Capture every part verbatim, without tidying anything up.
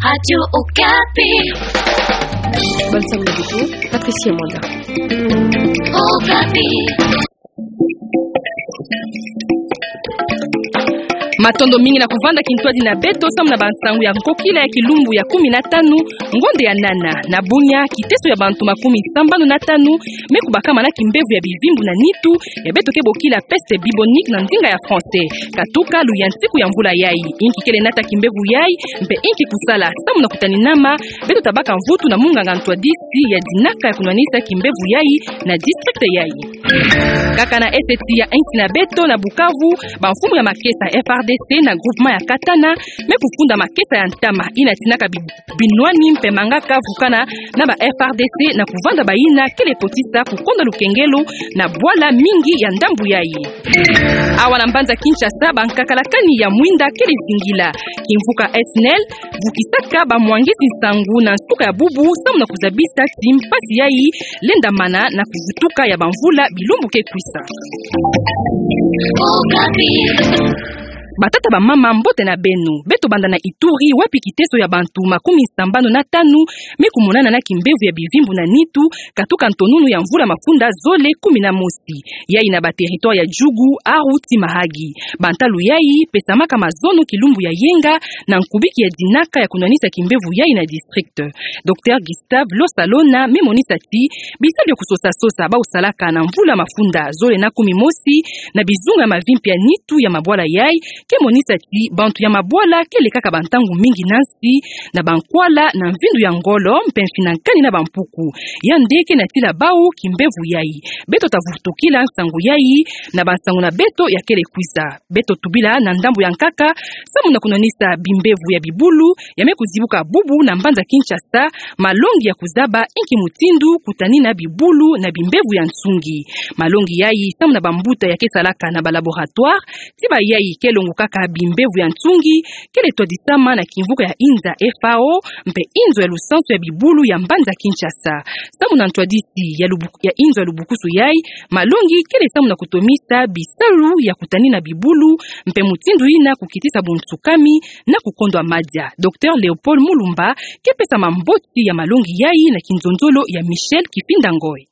Radio Okapi. Bonne somme de Patricia Mwanda. Okapi. Matondo mingi na kuvanda kintwadi na beto samu na bansangu ya nkokila ya kilumbu ya kumi na tanu, ngonde ya nana. Na bunya, kiteso ya bantu makumi sambanu na tanu me kubakama na kimbevo ya bivimbu na nitu, ya beto ke bokila peste bubonique na ndinga ya français, katuka luyantiku ya mvula yai. Inki kele nata kimbevo yai, mpe inki kusala samu na kutaninama, beto tabaka mvutu na munganga ntwadisi ya dinaka ya kunwanisa kimbevo yai na district yai. Kaka na est ya insi na beto na Bukavu, bamfumu ya makesa F R D C na groupement ya Katana me kufunda makesa ya ntama ina tinaka bi-, binwani mpe mangaka vukana na ba F R D C na kuvanda bayina kele kotisa kukonda lukengelo na bwala mingi ya ndambu yai. Awa na mbanza Kinshasa, bankakalakani ya mwinda kele zingila. Kimvuka S N L vukisaka bamwangisi nsangu na nsuka ya bubu samu na kuzabisa ti mpasi yai lendamana na kuvutuka ya bamvula bilumbu ke kwisa. Batata, bamama, mbote na beno. Beto banda na Ituri, wapi kiteso ya bantu makumi sambanu na tanu me kumonana na kimbevo ya bivimbu na nitu, katuka ntonunu ya mvula mafunda zole kumi na mosi. Yai na ba territoire ya Djugu, Aru ti Mahagi. Bantalu yai pesamaka mazono kilumbu ya yenga na nkubiki ya dinaka ya kunwanisa kimbevo yai na district. Docteur Gustave Losalona me monisa ti bisalu ya kusosa-sosa bau salaka na mvula mafunda zole na kumi mosi na bizunga ya mavimpi ya nitu ya mabwala yai ke monisa ti bantu ya mabwala kele kaka bantangu mingi na nsi na bankwala na mvindu ya ngolo mpe mfinankani na bampuku. Yande ke natila bau kimbevo yai. Beto tavutukila nsangu yai na bansangu na beto ya kele kwisa. Beto tubila na ndambu ya nkaka samu na kunwanisa bimbevo ya bibulu ya me kuzibuka bubu na mbanza Kinshasa, malongi ya kuzaba inki mutindu kutanina bibulu na bimbevo ya nsungi. Malongi yai samu na bambuta ya ke salaka na ba laboratoire, ti bayai ke longukaka bimbevo ya nsungi, kele twadisama na kimvuka ya inza F A O mpe inzo ya lusansu ya bibulu ya mbanza Kinshasa. Samu na ntwadisi ya lubu-, ya inzo ya lubukusu yai, malongi kele samu na kutomisa bisalu ya kutanina bibulu mpe mutindu ina kukitisa bunsukami na kukondwa madia. Docteur Léopold Mulumba ke pesa mamboti ya malongi yai na kinzonzolo ya Michel Kifinda Ngoy.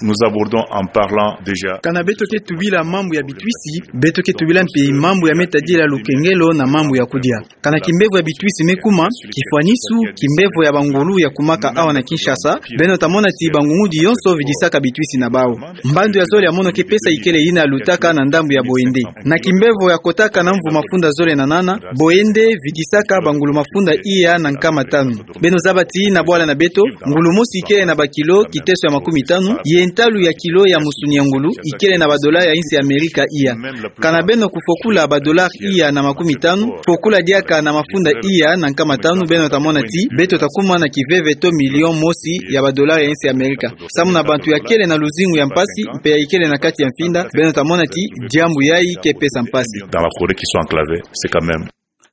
Nous abordons en parlant déjà. Kana beto ke tubila mambu ya bitwisi, beto ke tubila mpe mambu ya me tadila lukengelo na mambu ya kudia. Kana kimbevo ya bitwisi me kuma, kifwanisu, kimbevo ya bangulu ya kumaka awa na Kinshasa, beno tamona ti bangungudi yonso vidisaka bitwisi na bau. Mbandu ya zole ya mono ke pesa ikele ina lutaka na ndambu ya Boende. Na kimbevo ya kotaka na mvu mafunda zole na nana, Boende vidisaka bangulu mafunda iya na nkama tanu. Beno zaba ti na bwala na beto, ngulu mosi ikele na bakilo kiteso ya makumi tanu, ye ntalu ya kilo ya musuni ya ngulu ikele na badola ya insi ya Amerika iya. Kana beno kufokula badola iya na makumi tanu, fokula diaka na mafunda iya na nkama tanu, beno tamona ti beto takuma na kiveve to million mosi ya badola ya insi ya Amerika. Samu na bantu ya kele na luzingu ya mpasi, mpe ya ikele na kati ya mfinda, beno tamona ti diambu yai ke pesa mpasi. Dans la forêt qui sont enclavés, c'est quand même.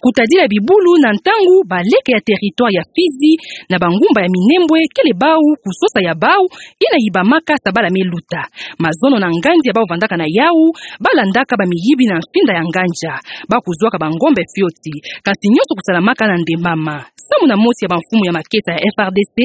Kutadila bibulu na ntangu baleke ya territoire ya Fizi na bangumba ya Minembwe kele bau kusosa ya bau ina yibamaka sa bala me luta. Mazono na nganzi ya bau vandaka na yau, balandaka bamiyibi na mfinda ya nganja. Bau kuzwaka bangombe fioti, kasi nyonso kusalamaka na ndembama. Samu na mosi ya bamfumu ya makesa ya F R D C,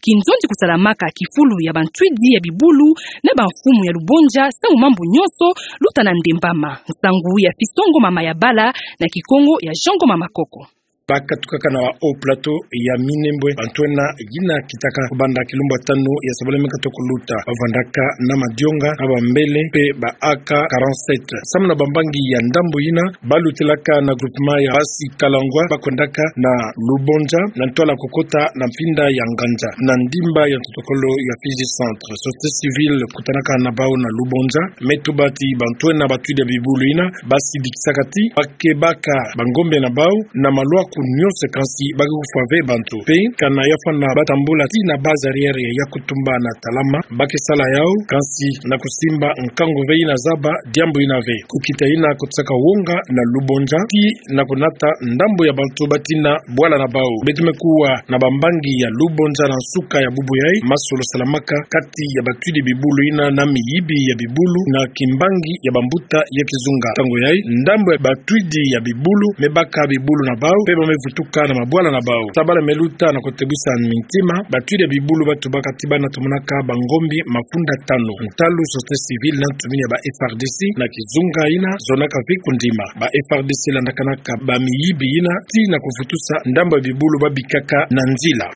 kinzonzi kusalamaka kifulu ya bantwidi ya bibulu na bamfumu ya Lubonja, samu mambu nyonso luta na ndembama. Nsangu ya Fiston Ngoma Mayabala na Kikongo ya Jean Ngoma Makoko. Bakatukaka na Haut Plateau ya Minembwe, bantu ena yina kitaka kubanda kilumbu ya tanu ya sabala meka toko luta. Bavandaka na madionga, na bambele, mpe ba A K quarante-sept. Samu na bambangi ya ndambu yina, balutilaka na groupement ya Basi Kalangwa, bakwendaka na Lubonja, na ntwala kukota na mfinda ya nganja, na ndimba ya ntotokolo ya Fizi Centre. Société civile kutanaka na bau na Lubonja, me tuba ti bantu ena batwidi ya bibulu yina, basidikisaka ti bakebaka bangombe na bau na maluaku nyonso, kansi bake kufwa ve bantu. Mpe kana ya fwana batambula ti na base arrière ya Yakutumba na Talama, bake sala yau, kansi na kusimba nkangu ve yina zaba diambu yina ve. Kukita yina kutisaka wonga na Lubonja, ti na kunata ndambu ya bantu batina bwala na bau. Beto me kuwa na bambangi ya Lubonja na nsuka ya bubu yai, masolo salamaka kati ya batwidi bibulu yina na miyibi ya bibulu na kimbangi ya bambuta ya kizunga. Ntangu yai, ndambu ya batwidi ya bibulu me baka bibulu na bau, mpe ba pe vutuka na mabwala na bau. Sabala me luta na kotebwisa mintima, batwidi ya bibulu batubaka ti bana tomonaka bangombi mafunda tanu. Ntalu société civile na ntumini ya ba F R D C na kizunga ina, zonaka ve kundima. Ba F R D C landakanaka bamiyibi ina, ti na kovutusa ndambu ya bibulu babikaka na nzila.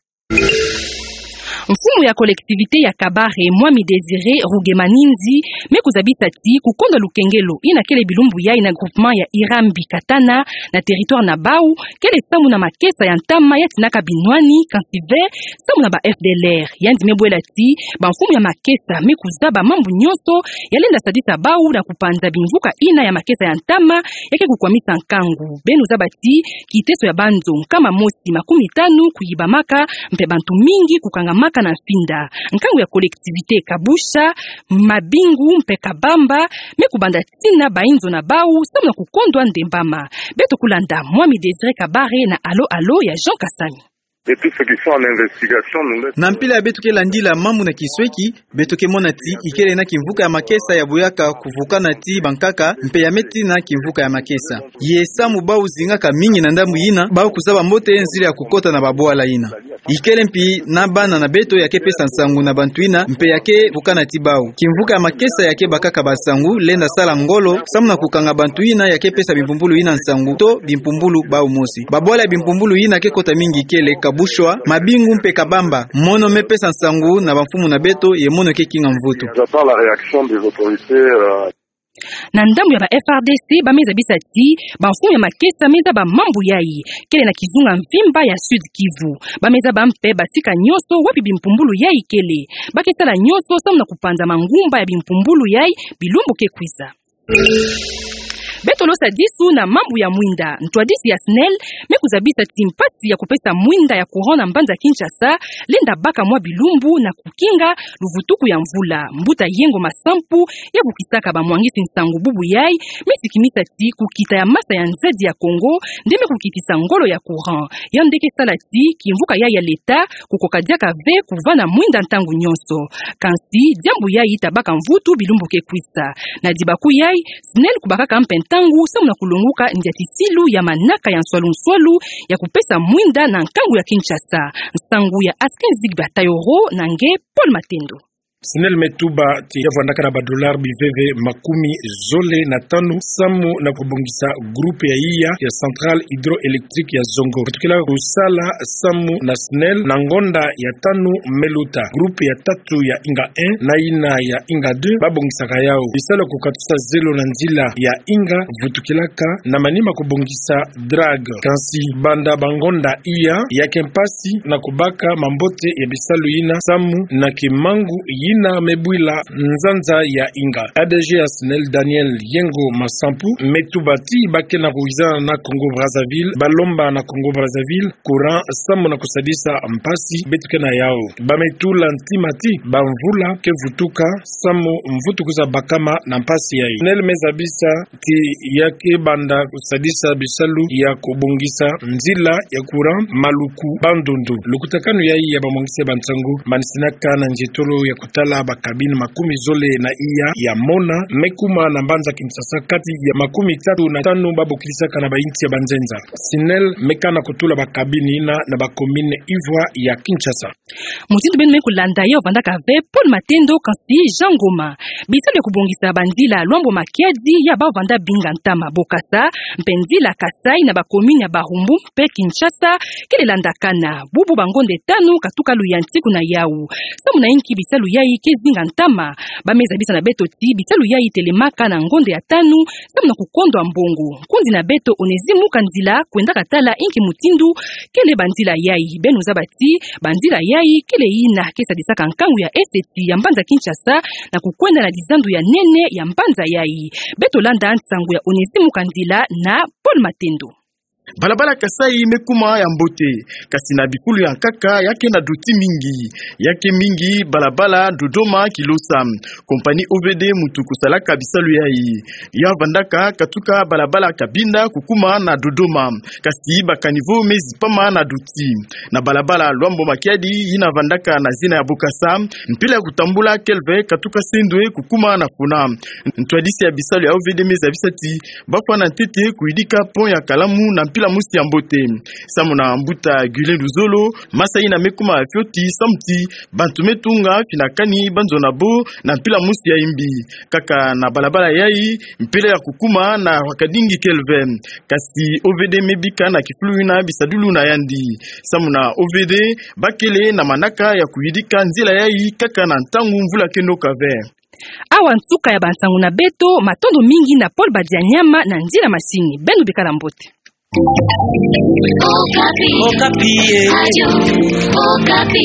Mfumu ya collectivité ya Kabare, Mwami Désiré Rugemanindi, me kuzabisa ti kukonda lukengelo ina kele bilumbu yai na groupement ya Irambi Katana na territoire na bau, kele samu na makesa ya ntama ya tinaka binwani, kansi ve samu na ba F D L R. Yandi me bwela ti bamfumu ya makesa me kuzaba mambu nyonso ya lenda sadisa bau na kupanza bimvuka ina ya makesa ya ntama ya ke kukwamisa nkangu. Beno zaba ti kiteso ya banzo nkama mosi makumi tanu kuyibamaka, mpe bantu mingi kukangamaka na mfinda. Nkangu ya collectivité Kabusha, Mabingu mpe Kabamba me kubanda tina bainzo na bau samu na kukondwa ndembama. Beto kulanda Mwami Désiré Kabare na Allô Allô ya Jean Kasami. Et tous ceux qui sont en investigation, nous laissent... Na mpila ya beto ke landila mambu na kinsweki, beto ke mona ti ikele na kimvuka ya makesa ya buyaka kuvukana ti bankaka, mpe ya me tina kimvuka ya makesa. Ye samu bau zingaka mingi na ndambu ina, bau kuzaba mbote nzila ya kukota na babwala ina. Ikele mpi na bana na beto ya ke pesa nsangu na bantu ina, mpe ya ke vukana ti bau. Kimvuka ya makesa ya ke bakaka bansangu, lenda sala ngolo samu na kukanga bantu ina ya ke pesa bimpumbulu ina nsangu, to bimpumbulu bau mosi. Babwala ya bimpumbulu ina ke kota mingi kele Kabushwa, Mabingu mpe Kabamba. Mono me pesa nsangu na bamfumu na beto, ye mono ke kinga mvutu. J'attends la réaction des autorités, euh. Na ndambu ya ba F R D C, ba me zabisa ti bamfumu ya makesa me zaba mambu yai, kele na kizunga mvimba ya Sud Kivu. Ba me zaba mpe basika nyonso wapi bimpumbulu yai kele. Ba ke sala nyonso samu na kupanza mangumba ya bimpumbulu yai bilumbu ke kwiza. Beto losa disu na mambu ya mwinda. Ntwadisi ya SNEL me kuzabisa ti mpasi ya kupesa mwinda ya courant na mbanza Kinshasa lenda baka mwa bilumbu na kukinga luvutuku ya mvula. Mbuta Yengo Masampu, ya vukisaka bamwangisi nsangu bubu yai, me sikimisa ti kukita ya masa ya nzadi ya Congo nde me kukitisa ngolo ya courant. Yandi ke sala ti kimvuka yai ya leta kukoka diaka ve kuvana mwinda ntangu nyonso. Kansi diambu yai tabaka mvutu bilumbu ke kwiza. Na dibaku yai, SNEL kubakaka mpe ntangu samu na kulonguka ndiatisilu ya manaka ya nswalu-nswalu ya kupesa mwinda na nkangu ya Kinshasa. Nsangu ya Askin Zigba Tayoro na nge Paul Matendo. SNEL me tuba ti ya vwandaka na ba dollars biveve makumi zole na tanu samu na kubongisa groupe ya iya ya centrale hydroélectrique ya Zongo. Vutukila kusala samu na SNEL na ngonda ya tanu me luta. Groupe ya tatu ya Inga un na ina ya Inga deux babongisaka yau. Bisalu ya kukatusa zelo na nzila ya Inga vutukilaka na manima kubongisa drague. Kansi banda bangonda iya, ya ke mpasi na kubaka mambote ya bisalu yina samu na kimangu yina me bwila nzanza ya Inga. A D G ya SNEL Daniel Yengo Masampu me tuba ti ba ke na kuwizana na Congo Brazzaville, ba lomba na Congo Brazzaville courant samu na kusadisa mpasi beto ke na yau. Ba me tula ntima ti bamvula ke vutuka samu mvutu kwiza bakama na mpasi yai. SNEL me zabisa ti ya ke banda kusadisa bisalu ya kubongisa nzila ya courant Maluku-Bandundu. Lukutakanu yai ya bamwangisi ya bansangu manisinaka na nzietolo ya kutala ba cabine makumi zole na iya ya Mona me kuma na mbanza Kinshasa kati ya makumi tatu na tanu babokilisaka na bainsi ya banzenza. SNEL me kana kutula ba cabine yina na ba commune ivwa ya Kinshasa. Mutindu beno me kulanda, ya vandaka ve Paul Matendo, kansi Jean Ngoma. Bisalu ya kubongisa banzila Luambo Makiadi ya ba vanda binga ntama Bokasa mpe nzila Kasaï na ba commune ya Barumbu mpe Kinshasa kele landakana bubu bangonda tanu katuka luyantiku na yau. Samu na inki bisalu yai ke zinga ntama? Ba me zabisa na beto ti bisalu yai telemaka na ngonda ya tanu samu na kukondwa mbongo. Nkundi na beto Onésime Mukandila kwendaka tala inki mutindu kele banzila yai. Beno zaba ti banzila yai kele yina ke sadisaka nkangu ya eseti ya mbanza Kinshasa na kukwenda na dizandu ya nene ya mbanza yai. Beto landa nsangu ya Onésime Mukandila na Paul Matendo. Balabala Kasaï me kuma ya mbote, kasi na bikulu ya nkaka ya ke na doti mingi. Ya ke mingi balabala Dodoma-Kilosa. Compagnie O V D mutu kusalaka bisalu yai ya vandaka katuka balabala Cabinda kukuma na Dodoma, kasi ba caniveau me zipama na doti. Na balabala Luambo Makiadi yina vandaka na zina ya Bokasa, mpila ya kutambula kele ve katuka Sendwe kukuma na Funa. Ntwadisi ya bisalu ya O V D me zabisa ti ba fwana ntete kuyidika pont ya Kalamu na mpila mosi ya mbote. Samu na mbuta Guylain Luzolo, masa ina me kuma fioti samu ti bantu me tunga fina kani banzona bo na mpila mosi ya imbi. Kaka na balabala yayi, mpila ya kukuma na Wakadingi Kelvin. Kasi O V D me bika na kifulu ina bisadulu na yandi. Samu na O V D, bakele na manaka ya kuyidika nzila yayi kaka na ntangu mvula ke noka ve. Awa nsuka ya bansangu na beto, matondo mingi na Paul Badianyama na nzila masini. Beno bikala mbote. Okapi. Okapi, eh. Radio Okapi.